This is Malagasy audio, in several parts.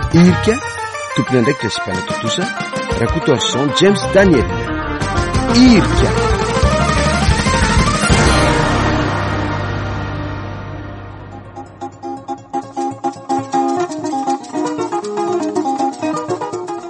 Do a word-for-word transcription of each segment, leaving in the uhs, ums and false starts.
Irika, tompon'andraikitra sy mpanatontosa, Rakotoarison James Daniel. Irika.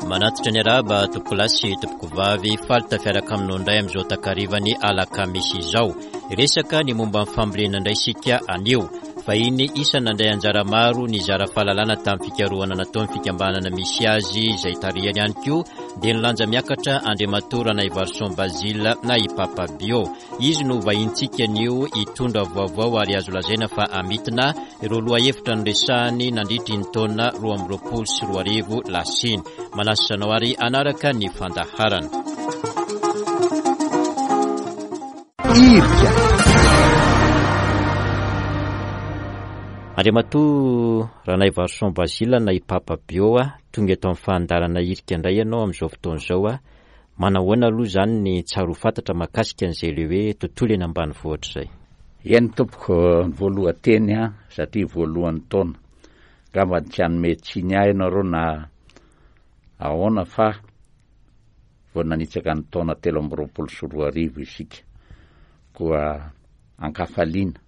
Manatitra ny arahaba tompokolahy sy tompokovavy, faly tafiaraka aminao indray amin'izao takarivan'ny alakamisy izao. Resaka ny momba ny fambolena indray isika anio. Vahiny isan'ny nandray anjara maro nizara fahalalana tamin'ny fikarohana nataon'ny fikambanana misy azy izay tarihany ihany koa dia nilanja miakatra Andriamatoa Ranaivarison Basile na i Papa Bio. Izy no vahintsika anio hitondra vaovao ary azo lazaina fa amitina ireo lohahevitra noresahany nandritry ny taona roa amby roapolo sy roa arivo lasa iny. Manasa anao ary hanaraka ny fandaharana. Irika. Andriamatoa Ranaivarison Basile na i Papa Bio, tonga eto amin'ny fandaharana Irika indray ianao amin'izao fotoana izao. Manahoana aloha izany ny tsara ho fantatra mahakasika an'izay le hoe tontolo eny ambanivohitra izay? Eny tompoko, ny voalohan-teny a, satria voalohan'ny taona. Angamba tsy hanome tsiny ahy ianareo na ahoana fa vao nanitsaka ny taona telo amby roapolo sy roa arivo isika. Koa ankafaliana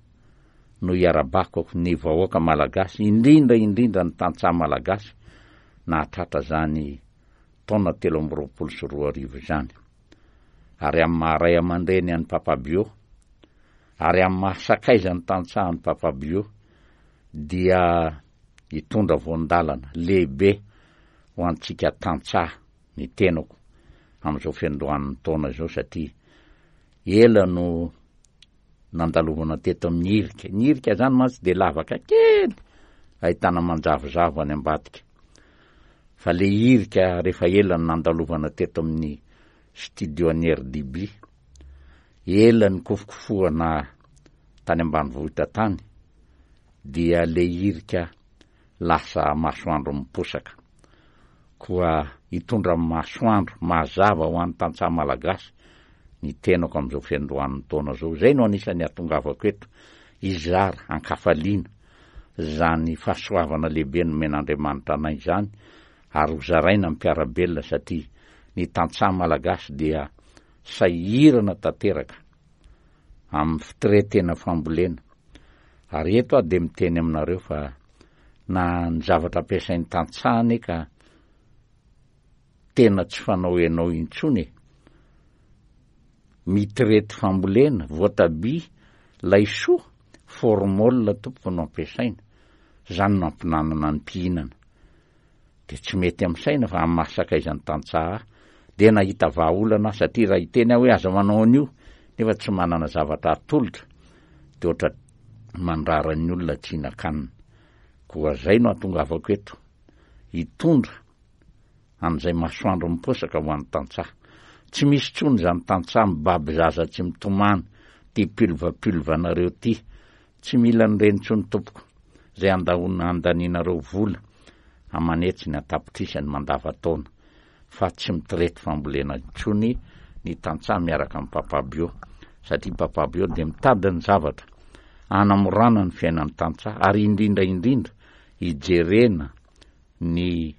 no iarabako ny vahoaka malagasy, indrindra indrindra ny tantsaha malagasy nahatratra zany taona telo amby roapolo sy roa arivo izany. Ary amin'ny maha ray aman-dreny an'i Papa Bio, ary amin'ny maha sakaiza ny tantsaha an'i Papa Bio, dia hitondra voan-dalana lehibe ho antsika tantsaha ny tenako amin'izao fiandohan'ny taona izao, satria ela no nandalovana teto amin'ny irika. Ny irika zany mantsy dia lavaka kely ahitana manjavozavo any ambadika. Fa le irika rehefa ela no nandalovana teto amin'ny studio an'ny R D B, ela ny kofokofohana tany ambanivohitra tany, dia le irika lasa masoandro miposaka. Koa hitondra masoandro mazava ho an'ny tantsaha malagasy ny tenako amin'izao fiandohan'ny taona izao. Izay no anisan'ny hahatongavako eto, hizara ankafaliana zany fahasoavana lehibe nomen'Andriamanitra anay izany, ary ho zaraina amin'ny mpiara-belona, satria ny tantsaha malagasy dia sahirana tanteraka amin'ny fitretena fambolena. Ary eto aho dia miteny aminareo fa na ny zavatra ampiasain'ny tantsaha anie ka tena tsy fanao ianao intsony e. Mitrety fambolena, voatabia, laisoa, formol tompoko no ampiasaina. Zany no ampinanana ny mpihinana. Dia tsy mety amin'ny saina fa amin'ny maha sakaizan'ny tantsaha ahy, dia nahita vahaolana aho, satria raha hiteny aho hoe aza manao an'io, nefa tsy manana zavatra atolotra, dia ohatra mandrara ny olona tsy hihinan-kanina. Koa zay no hahatongavako eto, hitondra an'izay masoandro miposaka ho an'ny tantsaha. Tsy misy intsony izany tantsaha mibaby zaza tsy mitomany, ty pulva-pulva anareo ty. Tsy mila an'ireny intsony tompoko, izay andahona andanianareo vola amanetsiny an-tapitrisany mandava-taona, fa tsy mitrety fambolena intsony ny tantsaha miaraka amin'ny Papa Bio, satria Papa Bio dia mitady ny zavatra hanamorana ny fiainan'ny tantsaha, ary indrindra indrindra hijerena ny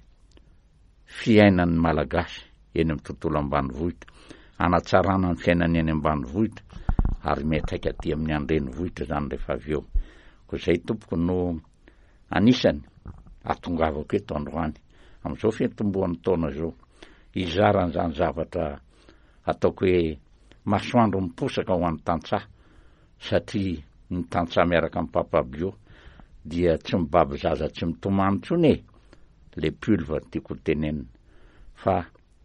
fiainan'ny malagasy eny amin'ny tontolo ambanivohitra, hanatsarana ny fiainany eny ambanivohitra, ary miantraika aty amin'ny andrenivohitra zany rehefa avy eo. Koa izay tompoko no anisany ahatongavako eto androany amin'izao fiantombohan'ny taona izao, hizara an'izany zavatra ataoko hoe masoandro miposaka ho an'ny tantsaha, satria ny tantsaha miaraka amin'ny Papa Bio dia tsy mibaby zaza tsy mitomany intsony e, le pulva tiako tenenina, fa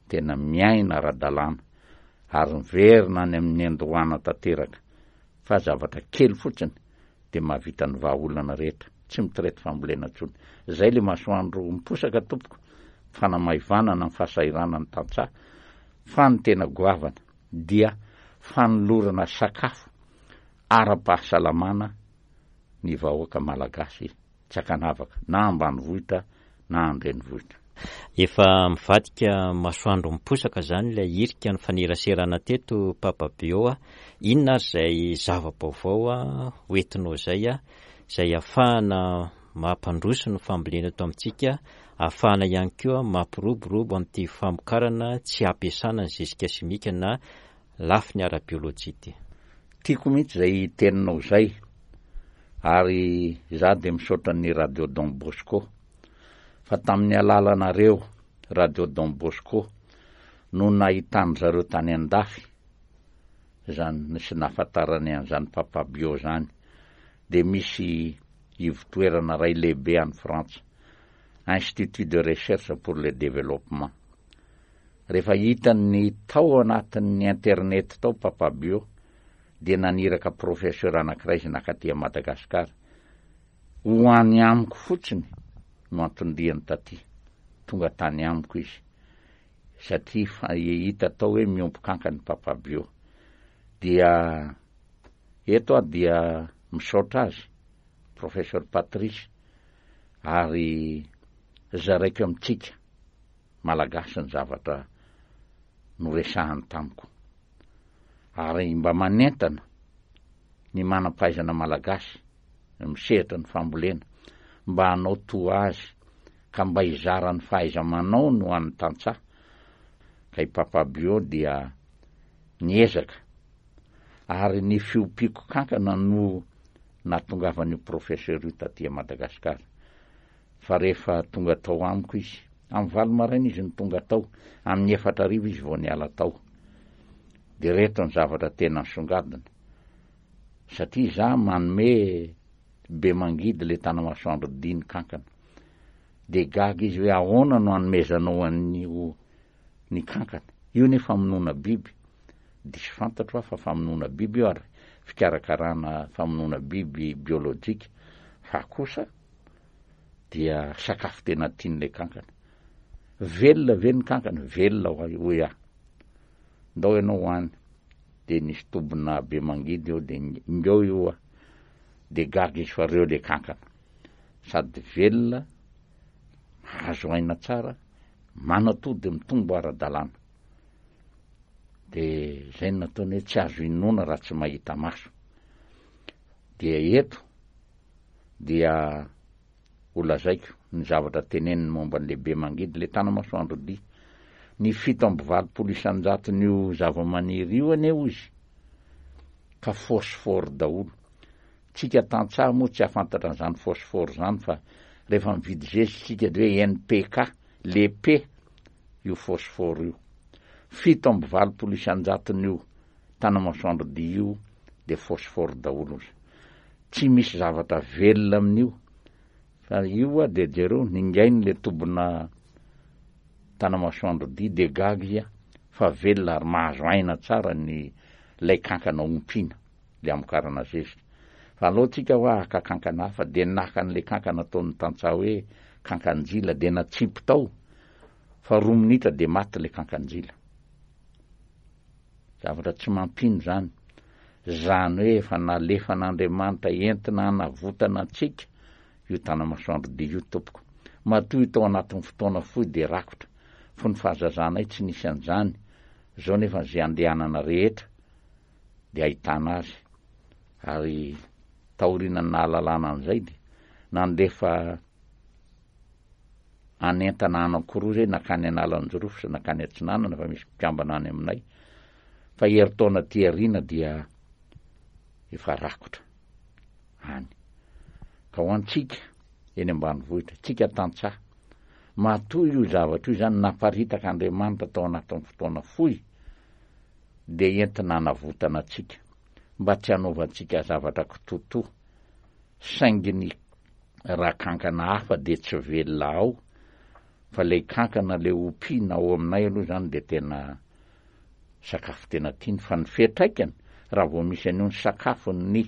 tena miaina ara-dalàna ary miverina any amin'ny andohana tanteraka, fa zavatra kely fotsiny dia mahavita ny vahaolana rehetra, tsy mitrety fambolena intsony. Zay le masoandro miposaka tompoko, fanamaivanana ny fahasahiranana ny tantsaha, fa ny tena goavana dia fanolorana sakafo ara-pahasalamana ny vahoaka malagasy tsy ankanavaka, na ambanivohitra na andrenivohitra. Efa mivadika masoandro miposaka zany ilay irika ny faneraserana teto Papa Bio a. Inona ary izay zava-baovao a hoentinao izay a, izay ahafahana mampandroso ny fambolena eto amintsika, ahafahana ihany koa mampiroborobo amin'ity famokarana tsy ampiasana ny zezika simika na lafiny ara-biolojia ity? Tiako mihitsy izay teninao izay, ary izaho dia misaotra ny Radio Don Bosco fa tamin'ny alalanareo Radio Don Bosco no nahitan-dry zareo tany an-dafy izany sy nahafantarany an'izany Papa Bio izany, dia misy ivotoerana iray lehibe any Frantsa, Institut de Recherche pour le Développement. Rehefa hitany tao anatin'ny internet tao Papa Bio dia naniraka professeur anankiray izy nakaty Madagasikara ho any amiko fotsiny no anton-diany taty. Tonga tany amiko izy satria fa hita tao hoe miompy kankana Papa Bio. Dia eto aho dia misaotra azy, professeur Patrice, ary zaraiko amintsika malagasy ny zavatra noresahany tamiko. Ary mba manentana ny manam-pahaizana malagasy misehatra ny fambolena mba hanao toa azy ka mba hizara ny fahaiza-manao no an'ny tantsaha. Ka i Papa Bio dia niezaka ary ny fiompiako kankana no nahatongavan'io professeur io taty Madagasikara. Fa rehefa tonga tao amiko izy, amin'ny valo maraina izy no tonga tao, amin'ny efatra arivo izy vao niala tao. Dia reto ny zavatra tena nisongadina. Satria za manome be mangidy le tanamasoandro diny kankana. Dia gaga izy hoe ahoana no hanomezanao an'io ny kankana. Io nefa famonoana biby. Diso fantatro aho fa famonoana biby io ary fikarakarana famonoana biby biolojika. Fa kosa dia sakafo tena tian'ilay kankana. Velona ve ny kankana? Velona hoy aho. Ndao ianao hoany. Dia nisy tobina be mangidy eo dia ngeo io aho. Dia gaga izy fa reo le kankana. Sady velona, mahazo aina tsara, manatody mitombo ara-dalàna. Dia zay no nataony hoe tsy azo inoana raha tsy mahita maso. Dia eto dia ho lazaiko ny zavatra teneniny momba ny lehibe mangidy le tanamasoandro dia. Ny fito amby valopolo isan-jaton'io zava-maniry io anie hozy ka phosphore daholo. Tsika tantsaha moa tsy hahafantatra an'izany phosphore zany fa rehefa mividy zezika tsika de hoe N P K, le P io phosphore io. Fito amby valopolo isan-jaton'io tanamasoandro dia io de phosphore daholo izy. Tsy misy zavatra velona amin'io. Fa io a de jereo ningainy le tobina tanamasoandro dia de gaga izy a fa velona ary mahazo aina tsara ny lay kankana ompiana le amokarana zezika. Fa aloha tsika hoa haka kankana hafa de naka an'le kankana ataon'ny tantsaha hoe kankanjila de natsipy tao fa roa minitra de maty le kankanjila. Zavatra tsy mampino zany. Zany hoe efa nalefan'Andriamanitra entina hanavotana antsika io tanamasoandro dia io tompoko. Matoa io tao anatin'ny fotoana fohy de rakotra. Fony fahazazanay tsy nisy an'izany. Zao nefa izay andehanana rehetra de ahitana azy. Ary taorian'ny nahalalana an'izay de nandefa anentana anankiroa zay nakany Analanjirofo sy nakany Atsinanana fa misy mpikambana any aminay. Fa herintaona aty aoriana dia efa rakotra any. Ka ho antsika eny ambanivohitra, tsika tantsaha, matoa io zavatra io zany naparitaka Andriamanitra tao anatin'ny fotoana fohy dia entina hanavotana antsika mba tsy hanaovantsika zavatra kitotoa. Saingy ny raha kankana hafa dia tsy velona ao fa lay kankana le ompiana ao aminay aloha zany dia tena sakafo tena tiany. Fa ny fiantraikany raha vao misy an'io ny sakafon'ny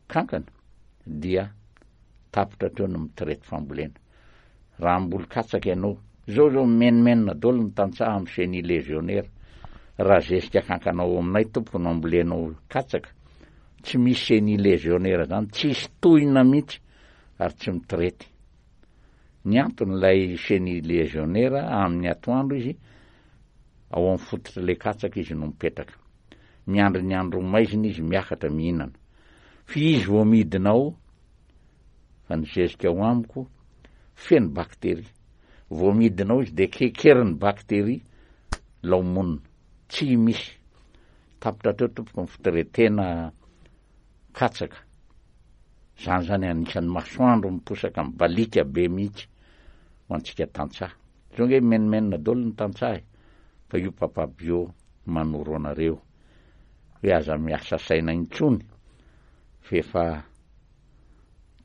kankana dia tapitra hatreo ny mitraity fambolena. Raha hamboly katsaka ianao, zao zao mimenomenona daholo ny tantsaha amin'ny chenille légionnaire. Raha zezika kankana ao aminay tompoko no ambolenao katsaka, tsy misy chenille légionnaire zany, tsisy tohina mihitsy ary tsy mitraity. Ny antony ilay chenille légionnaire amin'ny atoandro izy ao amin'ny fototra ilay katsaka izy no mipetraka. Miandry ny andro maizina izy miakatra mihinana. Fa izy vao midina ao Fa ny zezika ao amiko feno bakteria. Vao midina ao izy de kekerin'ny bakteria lao monina. Tsy misy. Tapitra teo tompoko ny fitretena katsaka. Zany zany anisan'ny masoandro miposaka mibalika be mihitsy ho antsika tantsaha. Zao nge menomenona daholo ny tantsaha e. Fa io Papa Bio manoro anareo hoe aza miasa saina intsony fa efa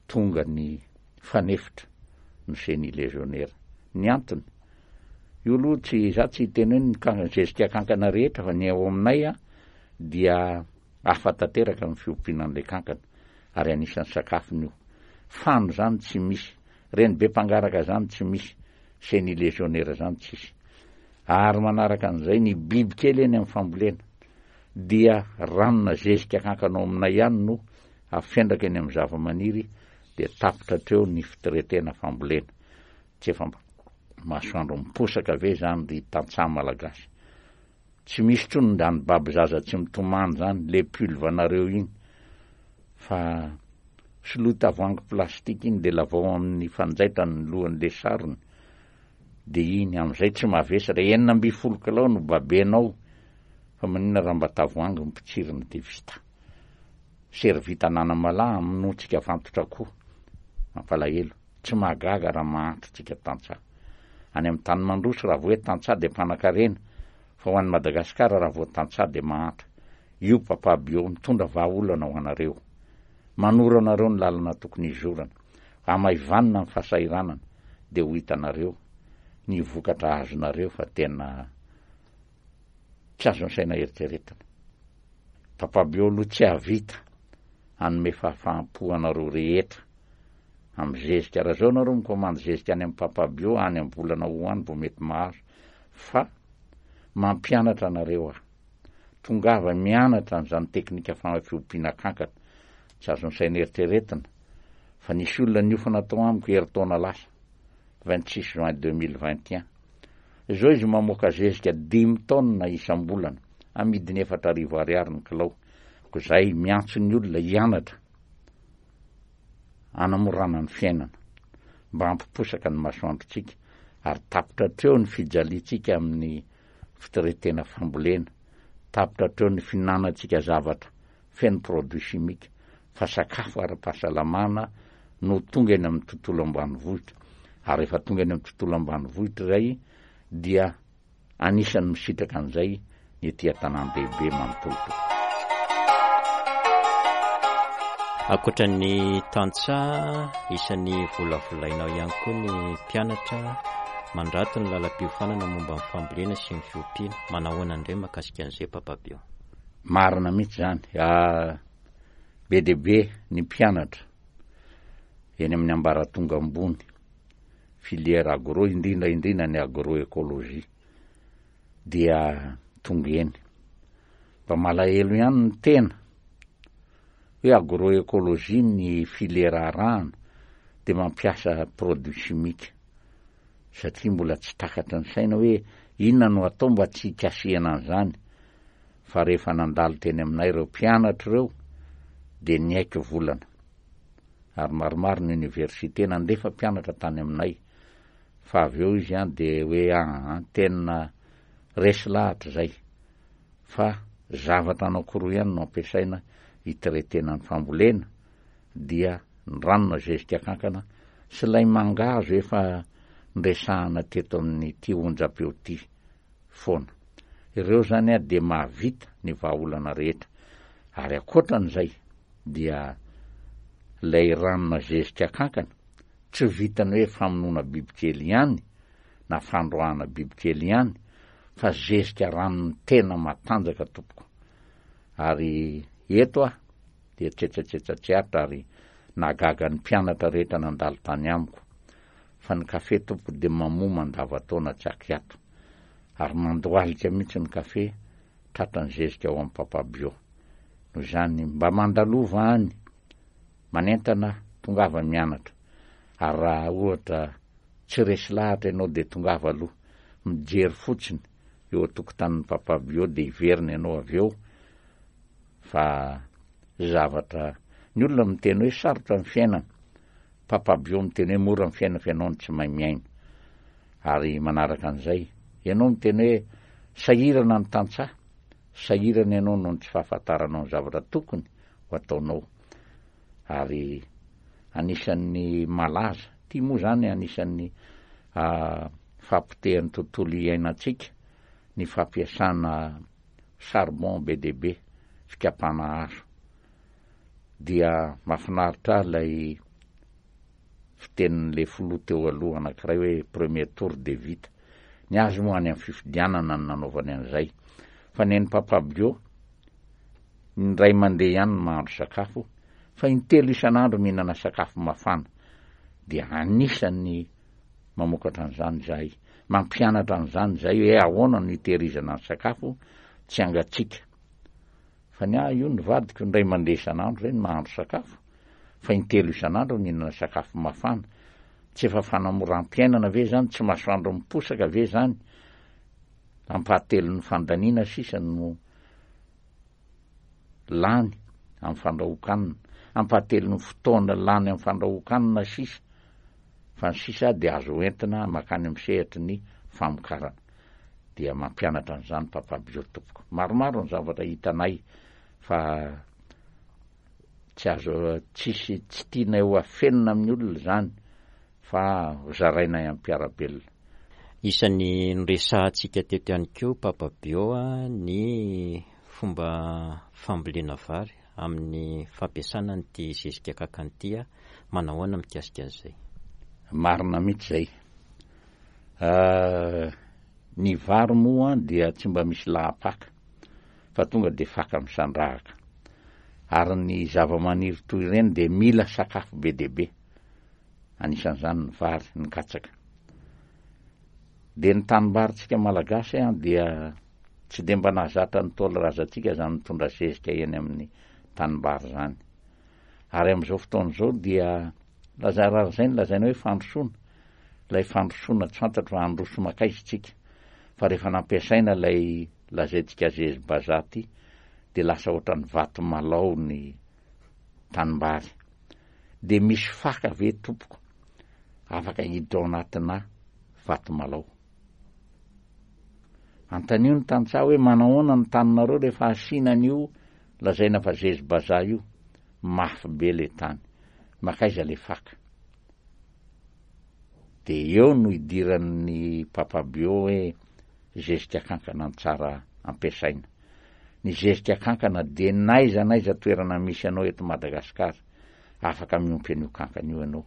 tonga ny fanefitra ny chenille légionnaire. Ny antony io aloha tsy za tsy hiteny hoe ny kankana zezika kankana rehetra, fa ny ao aminay a dia hafa tanteraka amin'ny fiompiana an'ilay kankana ary anisan'ny sakafony io. Fano zany tsy misy, reny be mpangaraka zany tsy misy, chenille légionnaire zany tsisy. Ary manaraka an'izay ny biby kely eny amin'ny fambolena dia ranona zezika kankana ao aminay ihany no afendraka eny amin'ny zava-maniry, dia tapitra hatreo ny fitretena fambolena. Tsy efa masoandro miposaka ve zany ry tantsaha malagasy? Tsy misy intsony zany baby zaza tsy mitomany zany le pulvanareo iny, fa soloy tavoahangy plastika iny de lavao amin'ny fanjaitra ny lohan'le sarony, de iny am'izay tsy mavesatra. Enina amby folo kilao no babenao, fa maninona raha mba tavoahangy mipitsirina de vita. Servita ananamalahy amonoantsika vantotra koa. Mampalahelo, tsy mahagaga raha mahantra tsika tantsaha. Any amin'ny tany mandroso raha vao hoe tantsaha de mpanan-karena, fa ho an'ny Madagasikara raha vao tantsaha de mahantra. Io Papa Bio mitondra vahaolana ho anareo. Manoro anareo ny lalana tokony hizorana. Hamaivanina ny fahasahiranana de ho hitanareo ny vokatra azonareo fa tena tsy azon'ny saina eritreretina. Papa Bio aloha tsy hahavita hanome fahafaham-po anareo rehetra amin'ny zezika. Raha zao nareo mikomandy zezika any amin'ny Papa Bio any amin'ny volana ho any vao mety mahazo, fa mampianatra anareo aho. Tongava mianatra an'izany teknika fiompiana kankana. Tsy azon'ny saina eritreretina fa nisy olona niofana tao amiko herintaona lasa, vingt-six juin deux mille vingt et un. Zao izy mamoaka zezika dimy taonina isam-bolana, amidiny efatra arivo ariary ny kilao. Ko zay miantso ny olona hianatra hanamorana ny fiainana mba hampiposaka ny masoandrontsika, ary tapitra hatreo ny fijaliantsika amin'ny fitretena fambolena, tapitra hatreo ny fihinanantsika zavatra feno produit chimique, fa sakafo ara-pahasalamana no tonga eny amin'ny tontolo ambanivohitra. Ary rehefa tonga eny amin'ny tontolo ambanivohitra izay dia anisan'ny misitraka an'izay ny ety an-tanàn-dehibe manontolo. Ankoatra ny tantsaha, isan'ny volavolainao ihany koa ny mpianatra mandrato ny lalam-piofanana momba ny fambolena sy ny fiompiana. Manahoana indray mahakasika an'izay Papa Bio? Marina mihitsy zany. Ah, be dia be ny mpianatra eny amin'ny ambaratonga ambony, filière agro, indrindra indrindra ny agroécologie, dia tonga eny. Mba malahelo ihany ny tena hoe agroécologie ny filière arahana de mampiasa produit chimique, satria mbola tsy takatra ny saina hoe inona no atao mba tsy hikasihana an'izany. Fa rehefa nandalo teny aminay ireo mpianatra ireo de niaiky volana, ary maromaro ny université nandefa mpianatra tany aminay, fa avy eo izy an de hoe aa tena resy lahatra zay, fa zavatra anankiroa ihany no ampiasaina hitretena ny fambolena, dia ny ranona zezika kankana sy ilay mangahazo efa nresahana teto amin'ity onjam-peo ity foana. Ireo zany a de mahavita ny vahaolana rehetra. Ary ankoatran'izay dia ilay ranona zezika kankana tsy vitany hoe famonoana bibikely ihany na fandroahana bibikely ihany, fa zezika ranony tena matanjaka tompoko. Ary eto aho dia tsetsatsetsa tsy aritra ary nagaga ny mpianatra rehetra nandalo tany amiko, fa ny kafe tompoko dia mamoa mandava-taona tsy akiato, ary mandohalika mihitsy ny kafe tratra ny zezika ao amin'ny Papa Bio. Noho izany mba mandalova any, manentana, tongava mianatra. Ary raha ohatra tsy resy lahatra ianao dia tongava aloha mijery fotsiny eo an-tokotanin'ny Papa Bio, dia hiverina ianao avy eo. Fa zavatra ny olona miteny hoe sarotra ny fiainana, Papa Bio miteny hoe mora ny fiainana fa ianao no tsy mahay miaina. Ary manaraka an'izay, ianao miteny hoe sahirana ny tantsaha, sahirana ianao noho ny tsy fahafantaranao ny zavatra tokony ho ataonao. Ary anisan'ny malaza, ity moa izany anisan'ny fahapotehan'ny tontolo iainantsika, ny fampiasana charbon be dia be, fikapana hazo. Dia mahafinaritra ahy ilay fitenin'ilay filoha teo aloha anankiray hoe premier tour dia vita. Ny azy moa any amin'ny fifidianana no nanaovany an'izay. Fa ny an'i Papa Bio, indray mandeha ihany no mahandro sakafo, fa intelo isan'andro mihinana sakafo mafana. Dia anisan'ny mamokatra an'izany izahay, mampianatra an'izany izahay hoe ahoana no hitehirizana ny sakafo tsy hangatsiaka. Fa ny ahy io ny vadiko indray mandeha isan'andro izay no mahandro sakafo, fa intelo isan'andro mihinana sakafo mafana. Tsy efa fanamoram-piainana ve izany? Tsy masoandro miposaka ve izany? Ampahatelon'ny fandaniana sisa no lany amin'ny fandrahoan-kanina, ampahatelon'ny fotoana lany amin'ny fandrahoan-kanina sisa, fa ny sisa dia azo entina mankany amin'ny sehatry ny famokarana. Dia mampianatra an'izany Papa Bio tompoko. Maromaro ny zavatra hitanay fa tsy azo, tsisy, tsy tianay ho afenina amin'ny olona izany fa ho zarainay amin'ny mpiara-belona. Isan'ny noresahantsika teto ihany koa Papa Bio ny fomba fambolena vary amin'ny fampiasana an'ity zezika kankana ity. Manahoana mikasika an'izay? Marina mihitsy izay. Ny vary moa dia tsy mba misy lahapaka fa tonga dia faka misandrahaka. Ary ny zava-maniry toy ireny dia mila sakafo be dia be. Anisan'izany ny vary, ny katsaka. Dia ny tanimbarintsika malagasy dia tsy dia mba nahazatra ny Ntaolo razantsika izany mitondra zezika eny amin'ny tanimbary izany. Ary amin'izao fotoana izao dia laza-, raha izay no lazaina hoe fandrosoana, ilay fandrosoana tsy fantatro fa handroso mankaiza isika. Fa rehefa nampiasaina ilay lazaintsika zezi-bazaha ity dia lasa ohatran'ny vato malao ny tanimbary. Dia misy faka ve tompoko afaka hiditra ao anatina vato malao? Antanio ny tantsaha hoe manahoana ny taninareo rehefa asiana an'io lazaina fa zezi-bazaha io. Mafy be le tany. Makaiza le faka? Dia eo no idiran'ny Papa Bio hoe zezika kankana ny tsara ampiasaina. Ny zezika kankana dia n'aiza n'aiza toerana misy anao eto Madagasikara, afaka miompy an'io kankana io ianao.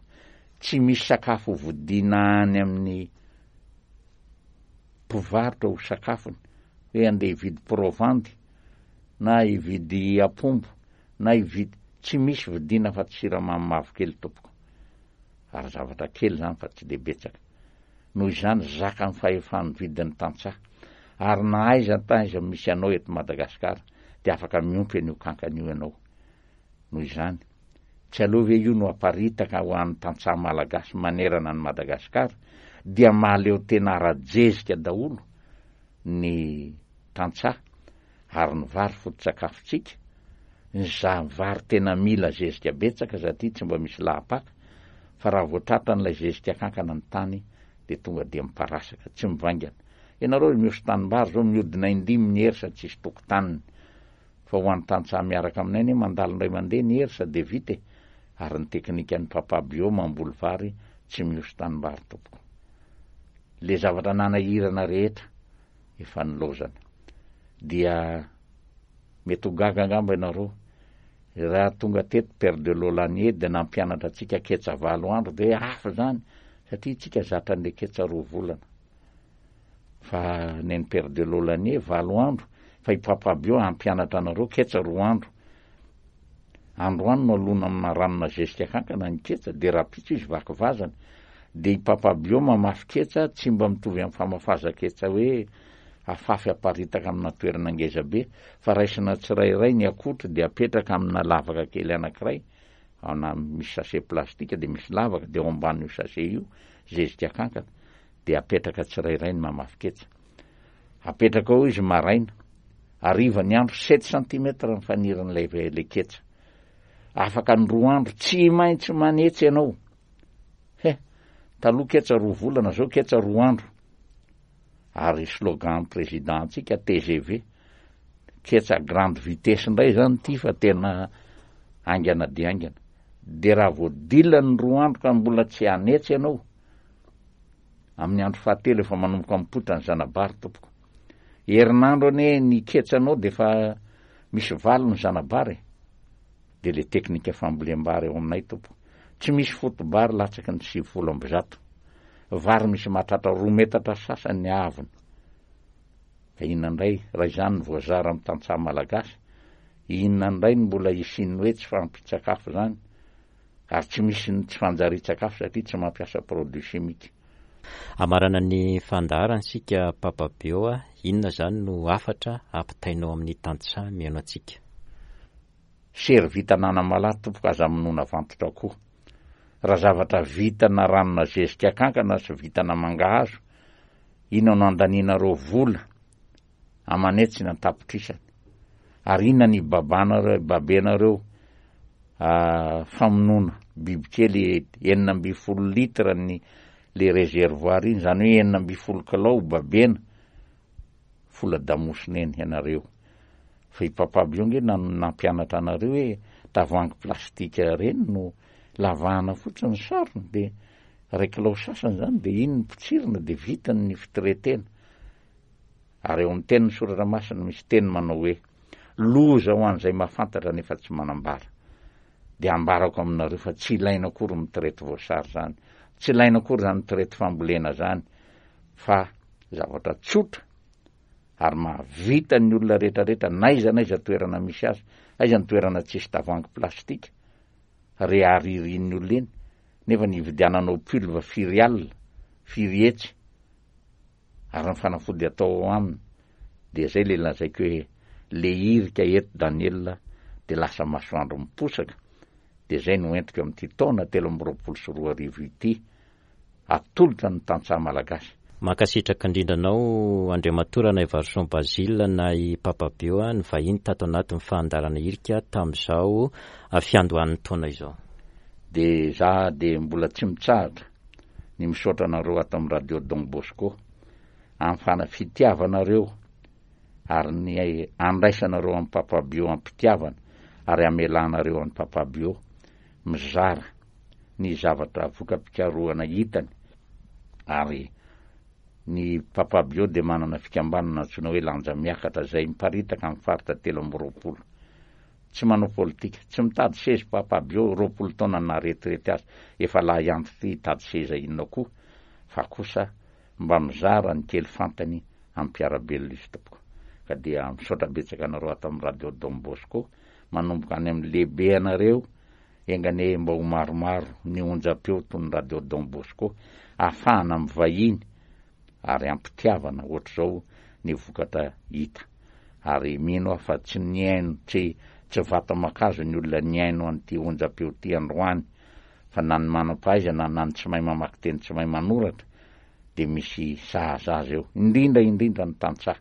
Tsy misy sakafo hodiana any amin'ny mpivarotra ho sakafony, hoe andeha hividy provandy na hividy apombo na hividy, tsy misy vidiana fa tsy siramamy mavokely tompoko. Ary zavatra kely izany fa tsy dia betsaka. Noho izany zaka ny fahefan'ny vidin'ny tantsaha. Ary na aiza na aiza misy anao eto Madagasikara dia afaka miompy an'io kankana io ianao. Noho izany, tsy aleo ve io no aparitaka ho an'ny tantsaha malagasy manerana an'i Madagasikara dia mahaleo tena ara-jezika daholo ny tantsaha ary ny vary foto-tsakafontsika, ny za vary tena mila zezika betsaka satria tsy mba misy lahapaka, fa raha vao tratran'ilay zezika kankana ny tany dia tonga dia miparasaka, tsy mivaingana. Ianareo mihoso tanimbary zao mihodina indimy ny hersa tsisy tokotaniny. Fa ho an'ny tantsaha miaraka aminay anie mandalo indray mandeha ny hersa dia vita e. Ary ny teknikan'ny Papa Bio mamboly vary tsy mihoso tanimbary tompoko. Le zavatra nanahirana rehetra efa nilaozana. Dia mety ho gaga angamba ianareo raha tonga teto Père de Laulanié dia nampianatra antsika ketsa valo andro dia hoe hafa izany satria tsika zatra an'le ketsa roa volana. Fa neny Père de Laulanié valo andro fa i Papa Bio hampianatra anareo ketsa roa andro. Androany no alona amina ranona zezika kankana ny ketsa dia rahampitso izy vaky vazana. Dia i Papa Bio mamafy ketsa tsy mba mitovy amin'ny famafaza ketsa hoe afafy aparitaka amina toerana ngeza be fa raisina tsirairay ny akotry dia apetraka amina lavaka kely anankiray, na misy sachet plastika dia misy lavaka dia ao ambanin'io sachet io zezika kankana dia apetraka tsirairay ny mamafy ketsa. Apetraka ao izy maraina, hariva ny andro sept centimètres ny fanirin'ilay le ketsa. Afaka ny roa andro tsy maintsy manetsy ianao. Taloha ketsa roa volana, zao ketsa roa andro. Ary slogan président antsika T G V, ketsa grande vitesse indray zany ty, fa tena aingana de aingana. De raha voadilany roa andro ka mbola tsy anetsy ianao, amin'ny andro fahatelo efa manomboka mipoitra ny zanabary tompoko. Herinandro ane ny ketsanao de fa misy valo ny zanabary. De le teknika fambolem-bary eo aminay tompoko, tsy misy fotobary latsaky ny sivifolo amby zato. Vary misy mahatratra roa metatra sasany ny avony. Ka inona indray raha izany ny voazara amy tantsaha malagasy? Inona indray ny mbola isiny hoe tsy fampitsakafo zany? Ary tsy misy ny tsy fanjari-tsakafo satria tsy mampiasa produit chimique. Amarana ny fandaharana isika, Papa Bio a, inona zany no hafatra ampitainao amin'ny tantsaha mihaino antsika? Sery vita ananamalahy tompoko, aza minoana vantotra koa. Raha zavatra vita na ranona zezika kankana sy vitana mangahazo, inona no andaninareo vola amanetsy ny antapitrisany? Ary inona ny babanareo, babenareo famonoana bibikely enina amby folo litre ny le réservoir iny, zany hoe enina amby folo kilao babena fola damosina eny ianareo? Fa i Papa Bio nge na nampianatra anareo hoe tavoangy plastika reny no lavahana fotsiny sarony, de ray kilao sasany zany, de iny ny potsirina, de vitany ny fitretena. Ary eo amin'ny tenin'ny soratra masina misy teny manao hoe: "Loza ho an'izay mahafantatra nefa tsy manambara." De ambarako aminareo fa tsy ilaina akory mitraite voasary zany, tsy ilaina akory zany mitraite fambolena zany, fa zavatra tsotra ary mahavita ny olona rehetrarehetra, n'aiza n'aiza toerana misy azy. Aiza ny toerana tsisy tavoangy plastika re aririn'ny olona eny, nefa ny ividiananao pulve firy alina, firy hetsy, ary ny fanafody atao ao aminy? De zay le lazaiko hoe le irika eto Daniela de lasa masoandro miposaka. De zay no entiko amin'ity taona telo amby roapolo sy roa arivo ity atolotra ny tantsaha malagasy. Mankasitraka indrindra anao, Andriamatoa Ranaivarison Basile na i Papa Bio a, ny vahiny tato anatin'ny fandaharana irika tamin'izao fiandohan'ny taona izao. De za de mbola tsy mitsahatra ny misaotra anareo ato amin'ny Radio Don Bosco amin'ny fana fitiavanareo ary ny andraisanareo amin'ny Papa Bio am-pitiavana, ary amelanareo amin'ny Papa Bio mizara ny zavatra voka-pikarohana hitany. Ary ny Papa Bio de manana fikambanana antsoina hoe Lanja Miakatra, zay miparitaka amin'ny faritra telo amby roapolo. Tsy manao politika, tsy mitady seza Papa Bio. Roapolo taona na retraite azy, efa lahy antitra ty, hitady seza inona koa? Fa kosa mba mizara ny kely fantany ampiarabelona izy tompoko. Ka dia misaotra betsaka anareo ato amin'ny Radio Don Bosco, manomboka any amin'ny lehibe anareo. Engane mba ho maromaro ny onjam-peo toy ny Radio Don Bosco ahafahana amin'ny vahiny ary ampitiavana ohatr'izao ny vokatra hita. Ary mino aho fa tsy niaino tsy tsy vata-makazo ny olona niaino an'ity onjam-peo ty androany, fa na ny manam-pahaizana na ny tsy mahay mamaky teny, tsy mahay manoratra, de misy sahaza azy eo, indrindra indrindra ny tantsaha.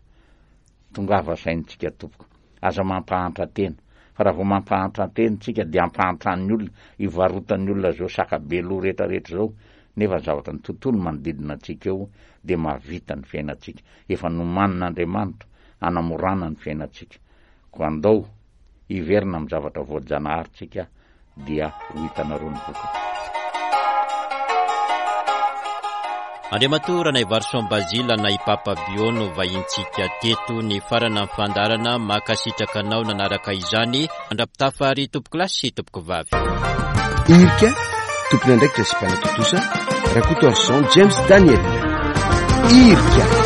Tongava saintsika tompoko, aza mampahantra tena, fa raha vao mampahantra tena tsika de ampahantran'ny olona, ivarotan'ny olona zao saka be loha rehetrarehetra zao, nefa ny zavatra ny tontolo manodidina antsika eo de mahavita ny fiainantsika, efa nomanin'Andriamanitra anamorana ny fiainantsika. Ko andao iverina amy zavatra voajanahary tsika, dia ho hitanareo ny vokatra. Andriamatoa Ranaivarison Basile na i Papa Bio no vahintsika teto ny farana ny fandaharana. Mankasitraka anao nanaraka izany. Mandra-pitafa ary tompoko lahy sy tompoko vavy. Irika, tompony andraikitra sy mpanatontosa Rakotoarison James Daniel. Irika.